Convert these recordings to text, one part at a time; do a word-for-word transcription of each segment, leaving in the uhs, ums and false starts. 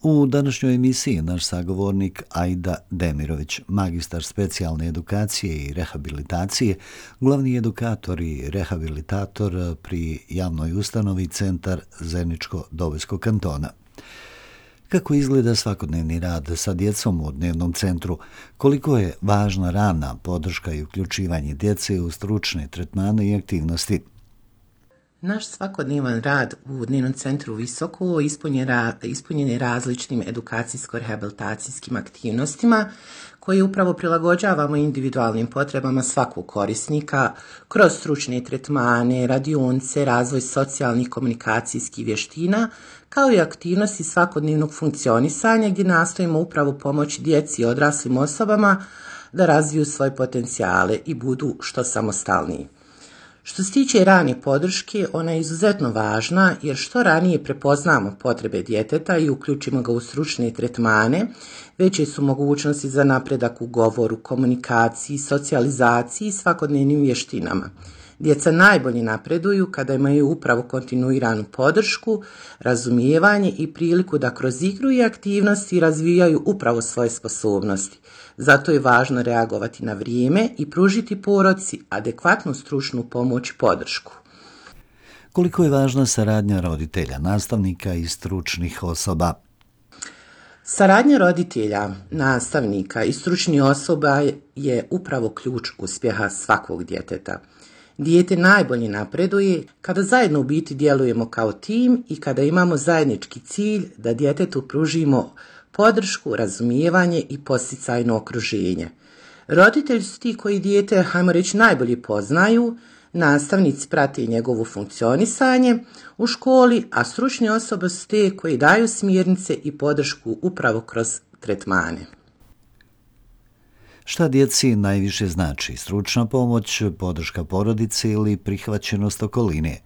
U današnjoj emisiji naš sagovornik Aida Demirović, magistar specijalne edukacije i rehabilitacije, glavni edukator i rehabilitator pri javnoj ustanovi Centar Zeničko-Dobojskog kantona. Kako izgleda svakodnevni rad sa djecom u dnevnom centru? Koliko je važna rana podrška i uključivanje djece u stručne tretmane i aktivnosti? Naš svakodnevan rad u dnevnom centru Visoko ispunjen je različitim edukacijsko-rehabilitacijskim aktivnostima koje upravo prilagođavamo individualnim potrebama svakog korisnika kroz stručne tretmane, radionice, razvoj socijalnih komunikacijskih vještina, kao i aktivnosti svakodnevnog funkcionisanja gdje nastojimo upravo pomoći djeci i odraslim osobama da razviju svoje potencijale i budu što samostalniji. Što se tiče rane podrške, ona je izuzetno važna jer što ranije prepoznamo potrebe djeteta i uključimo ga u stručne tretmane, veće su mogućnosti za napredak u govoru, komunikaciji, socijalizaciji i svakodnevnim vještinama. Djeca najbolje napreduju kada imaju upravo kontinuiranu podršku, razumijevanje i priliku da kroz igru i aktivnosti razvijaju upravo svoje sposobnosti. Zato je važno reagovati na vrijeme i pružiti porodici adekvatnu stručnu pomoć i podršku. Koliko je važna saradnja roditelja, nastavnika i stručnih osoba? Saradnja roditelja, nastavnika i stručnih osoba je upravo ključ uspjeha svakog djeteta. Dijete najbolje napreduje kada zajedno u biti djelujemo kao tim i kada imamo zajednički cilj da djetetu pružimo podršku, razumijevanje i podsticajno okruženje. Roditelji su ti koji dijete, hajmo reći, najbolje poznaju, nastavnici prate njegovo funkcionisanje u školi, a stručne osobe su te koji daju smjernice i podršku upravo kroz tretmane. Šta djeci najviše znači? Stručna pomoć, podrška porodice ili prihvaćenost okoline?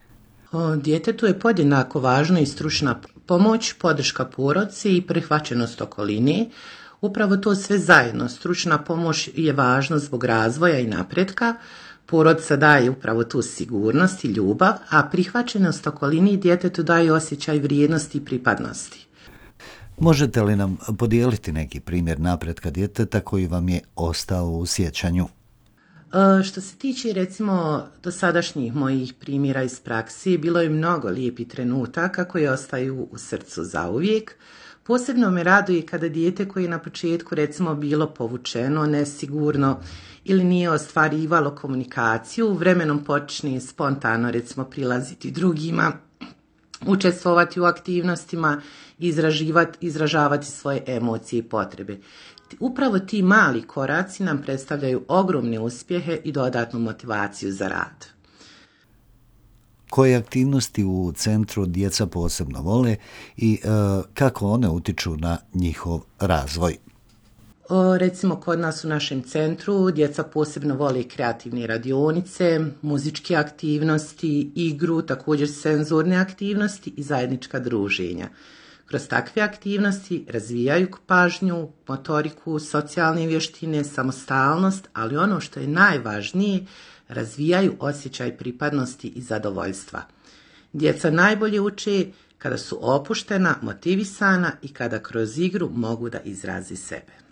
O, djetetu je podjednako važna i stručna pomoć, podrška porodici i prihvaćenost okoline. Upravo to sve zajedno. Stručna pomoć je važna zbog razvoja i napretka. Porodica daje upravo tu sigurnost i ljubav, a prihvaćenost okolini djetetu daje osjećaj vrijednosti i pripadnosti. Možete li nam podijeliti neki primjer napretka djeteta koji vam je ostao u sjećanju? E, što se tiče recimo dosadašnjih mojih primjera iz praksi, bilo je mnogo lijepih trenutaka koji ostaju u srcu zauvijek. Posebno me raduje kada dijete koje je na početku recimo bilo povučeno, nesigurno ili nije ostvarivalo komunikaciju, vremenom počne spontano recimo prilaziti drugima, učestvovati u aktivnostima, izražavati svoje emocije i potrebe. Upravo ti mali koraci nam predstavljaju ogromne uspjehe i dodatnu motivaciju za rad. Koje aktivnosti u centru djeca posebno vole i e, kako one utiču na njihov razvoj? O, recimo kod nas u našem centru djeca posebno vole kreativne radionice, muzičke aktivnosti, igru, također senzorne aktivnosti i zajednička druženja. Kroz takve aktivnosti razvijaju pažnju, motoriku, socijalne vještine, samostalnost, ali ono što je najvažnije, razvijaju osjećaj pripadnosti i zadovoljstva. Djeca najbolje uče kada su opuštena, motivisana i kada kroz igru mogu da izrazi sebe.